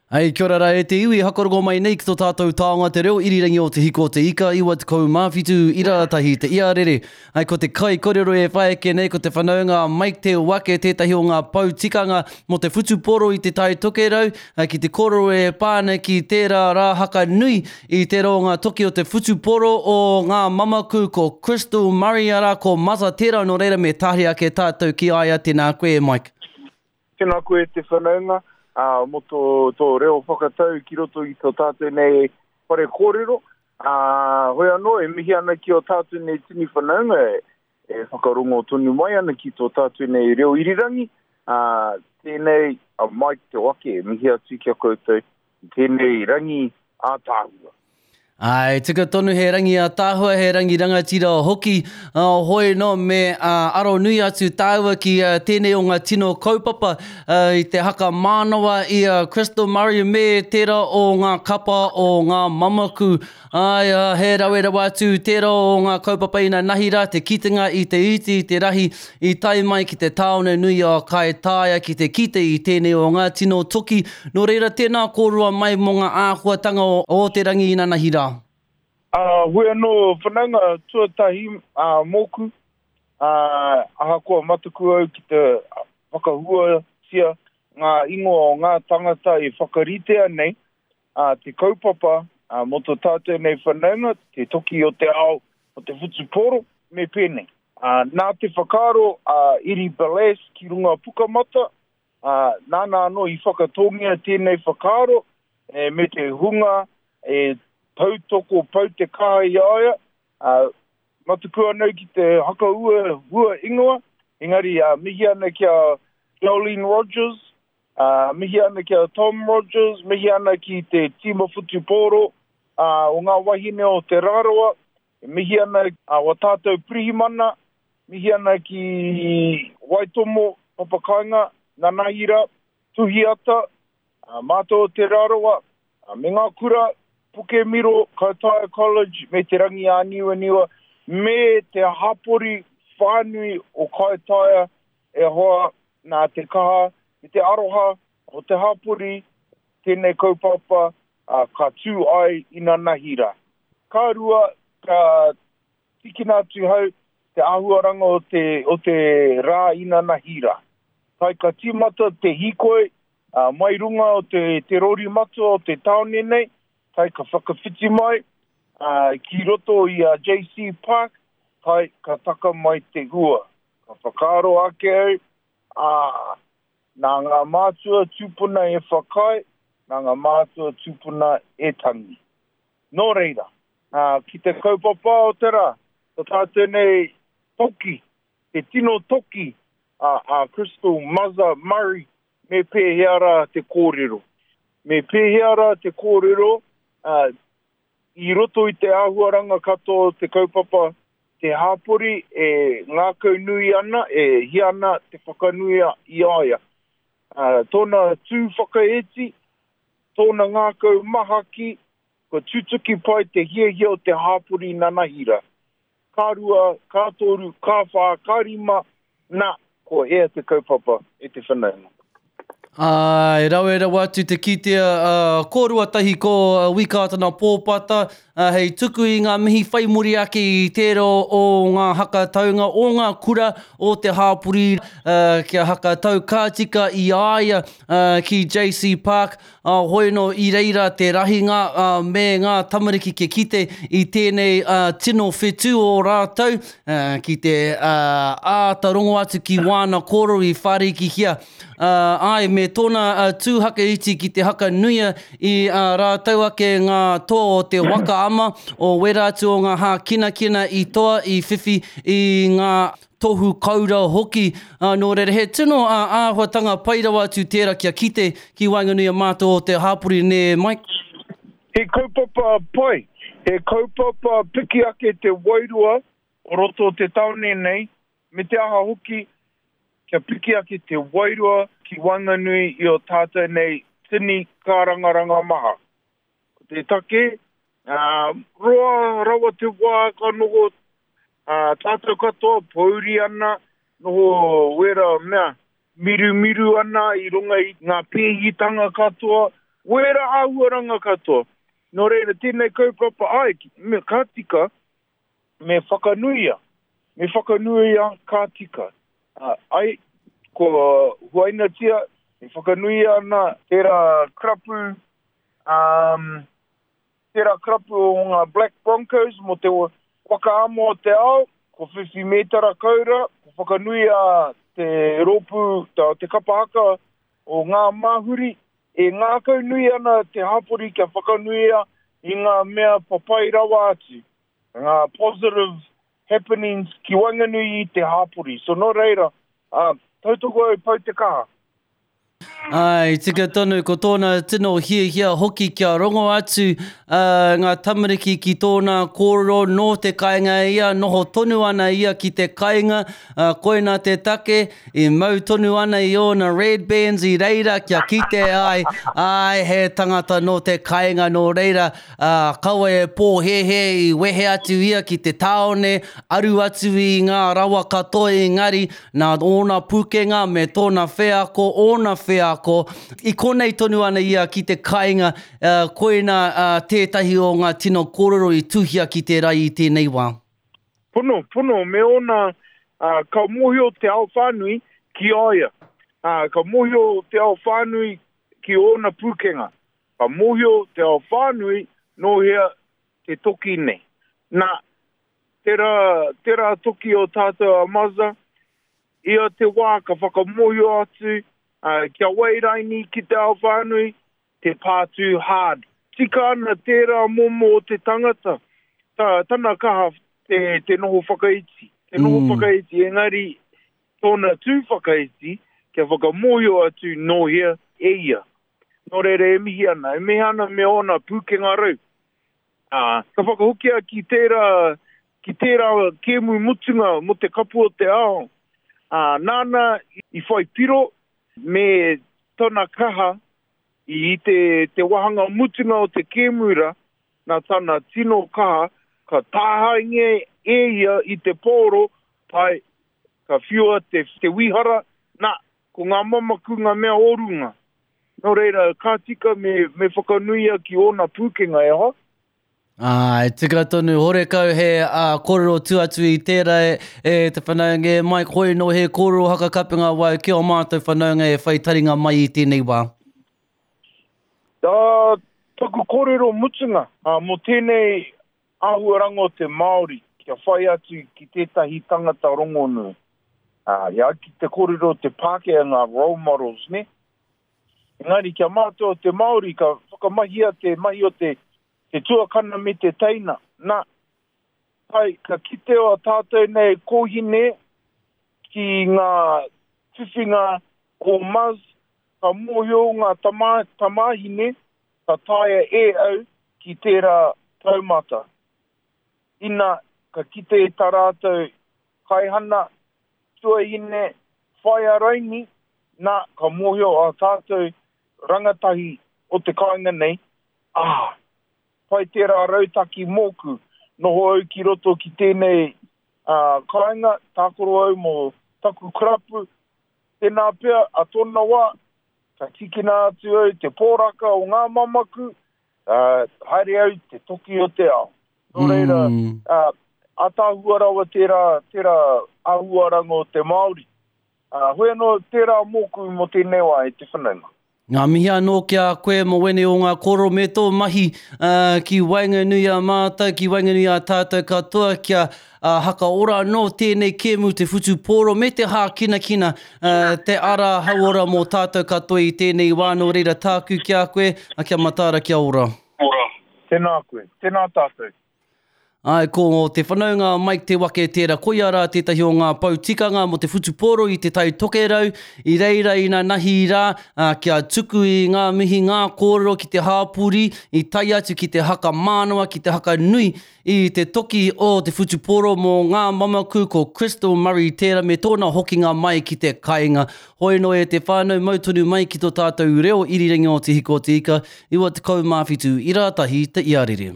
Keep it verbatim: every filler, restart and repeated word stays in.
Hei, kia ora rā e te iwi, hakarongo mai nei ki tō tātou taonga te reo irirangi o Te Hiko o Te Ika, iwa tekau mā whitu ira tahi te iarere. Hei, ko te kai korero e whai ake nei, ko te whanaunga a Mike Te Wake, tētahi o ngā pou tikanga mō te whutupōro i Te Tai Tokerau, ki te kōrero e pā ana ki tērā rā haka nui i tērā o ngā toki o te whutupōro o ngā mamaku, ko Crystal Murray, arā, ko Maza tērā, nō reira me tahuri ake tātou ki a ia, tēnā koe e Mike. Tēnā koe te whanaunga, ā, mō tō, tō reo whakatau ki roto i tō tātou nei whare kōrero. Ā, hoi anō, e mihi ana ki ō tātou nei tini whanaunga e, e whakarongo tonu mai ana ki tō tātou nei reo irirangi. Ā, tēnei a Mike Te Wake e mihi atu ki a koutou i tēnei rangi ātaahua. Āe, tika tonu he rangi ātaahua, he rangi rangatira hoki, hoi nō me aro nui atu tāua ki tēnei o ngā tino kaupapa i te haka mānawa i a Crystal Murray me tērā o ngā kapa o ngā mamaku. Āe, he rawe rawa atu tērā o ngā kaupapa inanahi rā, te kitenga i te iti, i te rahi, i tae mai ki te tāone nui o Kaitaia ki te kite i tēnei o ngā tino toki. Nō reira, tēnā kōrua mai mō ngā āhuatanga o te rangi inanahi rā. Ā, hoi anō, whanaunga tuatahi ā, mōku, ā, ahakoa mataku au ki te whakahuatia ngā ingoa o ngā tangata e whakaritea nei, ā, te kaupapa ā, mō tō tātou nei whanaunga, te toki o te ao o te whutupōro, me pēnei. Ā, nā te whakaaro a Iri Balass ki runga Pukamata, ā, nāna anō i whakatōngia tēnei whakaaro e, me te hunga e tautoko pau te kaha i a ia, ā, mataku anau ki te hakaua hua ingoa, engari ā, mihi ana ki a Jolene Rogers, ā, mihi ana ki a Tom Rogers, mihi ana ki te tīma whutupōro ā, o ngā wahine o Te Rarawa, e mihi ana a wa tātou pirihimana, mihi ana ki Waitomo, Papakainga, Nanahira, Tuhiata, ā, mātou o Te Rarawa, ā, me ngā kura, Pukemiro, Kaitaia College, me Te Rangiāniwaniwa, me te hapori whānui o Kaitaia e hoa nā te kaha me te aroha o te hapori tēnei kaupapa ā, ka tū ai inanahi rā. Ka rua, ka tīkina atu hau te āhuaranga o te, o te rā inanahi rā. Tai ka tīmata te hīkoi ā, mai runga o te, te rori matua o te tāone nei, tai ka whakawhiti mai ā, ki roto i a J C Park, tai ka taka mai te ua. Ka whakaaro ake au, ā, nā ngā mātua tūpuna e whakaae, nā ngā mātua tūpuna e tangi. Nō reira, ā, ki te kaupapa o te rā, ko tātou nei toki, te tino toki a, a Crystal Maza Murray, me pēhea rā te kōrero. Me pēhea rā te kōrero, ā, i roto i te āhuaranga katoa o te kaupapa te hapori e ngākau nui ana, e hia ana te whakanuia i a ia. Ā, tōna tū whakaeti, tōna ngākau mahaki, kua tutuki pai te hiahia o te hapori nanahira. Ka rua, ka toru, ka whā, ka rima, nā, ko ea te kaupapa e te whanaunga. Āe, rawe rawa atu te kitea, ā, kōrua tahi ko Wi Kātana Pōpata, ā, hei tuku i ngā mihi whai muri ake i tērā o ngā hakataunga o ngā kura o te hāpori, ā, kia hakatau ka tika i a ia, ā, ki J C Park, ā, hoi nō i reira te rahinga, ā, me ngā tamariki kia kite i tēnei, ā, tino whetū o rātou, ā, ki te, ā, āta rongo atu ki wāna kōrero i whārikihia. Ā, āe, me tōna, ā, tū haka iti ki te haka nuia i ā rātou ake ngā toa o te waka ama, o wera atu o ngā hākinakina i toa i whiwhi i ngā tohu kaura hoki. Ā, nō reira, he tino, ā, āhuatanga pai rawa atu tērā kia kite ki waenganui a mātou o te hāpori, nē, Mike? He kaupapa pai, he kaupapa piki ake te wairua o roto o te tāone nei, me te aha hoki, kia piki ake te wairua ki waenganui i o tātou nei tini kārangaranga maha. Ko te take, ā, roa rawa te wā ka noho, ā, tātou katoa pōuri ana, noho wera mea, mirumiru ana i runga i ngā pēhitanga katoa, Wera āhuaranga katoa. Nō reira, tēnei kaupapa ai, me ka tika, me whakanuia. Me whakanuia ka tika. Uh, ai, ko huainatia, e whakanuia ana tērā karapu, um, tērā karapu o ngā Black Broncos mō te wakaamo o te ao, ko whiwhi mētara kaura, ko whakanuia te rōpū, te kapa haka o ngā māhuri, e ngākau nui ana te hapori kia whakanuia i ngā mea papai rawa atu, ngā positive happenings ki waenganui i te hapori. So nō reira, uh, tautoko au pau te kaha. Ai, tika tonu, ko tōna tino hiahia hoki kia rongo atu uh, ngā tamariki ki tōna kōrero nō te kāinga ia, noho tonu ana ia ki te kāinga, uh, koina te take, i mau tonu ana i ōna red bands i reira kia kite ai, ai he tangata nō te kāinga nō reira, uh, kaua e pōhēhē i wehe atu ia ki te tāone, aru atu i ngā rawa katoa engari, nā ōna pūkenga me tōna wheako, ōna wheako, i konei tonu ana ia ki te kāinga, uh, koina uh, tētahi o ngā tino kōrero i tuhia ki te rai i tēnei wā. Pono, pono, me ōna, uh, ka mōhio te ao whānui ki a ia. Uh, ka mōhio te ao whānui ki ōna pūkenga. Ka mōhio te ao whānui nō hea te toki nei. Nā, tērā, tērā toki o tātou a Mazza, ia te wā ka whakamōhio atu, uh, kia wairaini ki te ao whānui, te pātū hard. Tika ana tērā momo o te tangata, ta, tana kaha te, te noho whakaiti. Te noho mm. whakaiti, engari tōna tū whakaiti, kia whakamōhio atu nō hea e ia. Nō reira e mihi ana, e mihi ana me ōna pūkenga rau. Uh, ka whakahokia ki tērā, ki tērā kēmu mutunga mō te kapu o te ao. Uh, nāna i whai piro me tona kaha i te, te wahanga mutunga o te kēmura, nā tana tino kaha, ka tāhainge e ia i te pōro, tae, ka whiua te, te wihara, nā, ko ngā mamaku ngā mea orunga. Nō reira, ka tika me, me whakanuia ki ōna pūkenga e hoa. Ai, tika tonu, horekau he uh, kōrero tu atu i tērā e, e te whanaunga e mai, hoi no he kōrero hakakapenga wau ki o mātou whanaunga e whai taringa mai i tēnei wā. Uh, taku kōrero mutunga, uh, mō tēnei āhuaranga o te Māori, kia whai atu ki tētahi tangata rongonui. Uh, ia ki te kōrero te Pākehā ngā role models, ne? Engari kia mātou o te Māori, ka whakamahia te mahi o te, te tuakana me te teina. Nā, kai, ka kite o tātou nei kōhine ki ngā whiwhinga o Maz, ka mōhio ngā tama, tamahine, ka taea e au ki tērā taumata. Ina, ka kite i tā rātou kaihana, tuahine, whaia raini, nā, ka mōhio a tātou rangatahi o te kāinga nei, ah, pai tērā rautaki mōku, noho au ki roto ki tēnei uh, kāinga, tākoro au mō taku karapu, tēnā pea a tōna wā, ka tikina atu au te pōraka o ngā mamaku, uh, haere au te toki o te ao. Nō reira, mm. uh, ātaahua rawa tērā, tērā āhuaranga o te Māori. Uh, hoi anō tērā mōku mō tēnei wā e te whanaunga. Ngā mihi anō ki a koe mō wene o ngā koro me tō mahi uh, ki waenganui a mātou, ki waenganui a tātou katoa kia uh, hakaora anō tēnei kēmu te whutupōro me te hākinakina uh, te ara hauora mō tātou katoa i tēnei wā nō reira tāku ki a koe, a kia mataara kia ora. Ora. Tēnā koe, tēnā tātou. Ai, ko te whanaunga Mike Te Wake tērā, koia rā tētahi o ngā pou tikanga mō te whutupōro i te Tai Tokerau, i reira i nā nahi rā, uh, kia tuku i ngā mihi ngā kōrero ki te hāpuri, i tae atu ki te haka mānawa, ki te haka nui, i te toki o te whutupōro mō ngā mamaku ko Crystal Murray tērā me tōna hokinga mai ki te kāinga. Hoi no e te whānau mau tonu mai ki tō tātou reo irirangi o Te Hiko o Te Ika, iwa tekau mā whitu, ira tahi te iarere.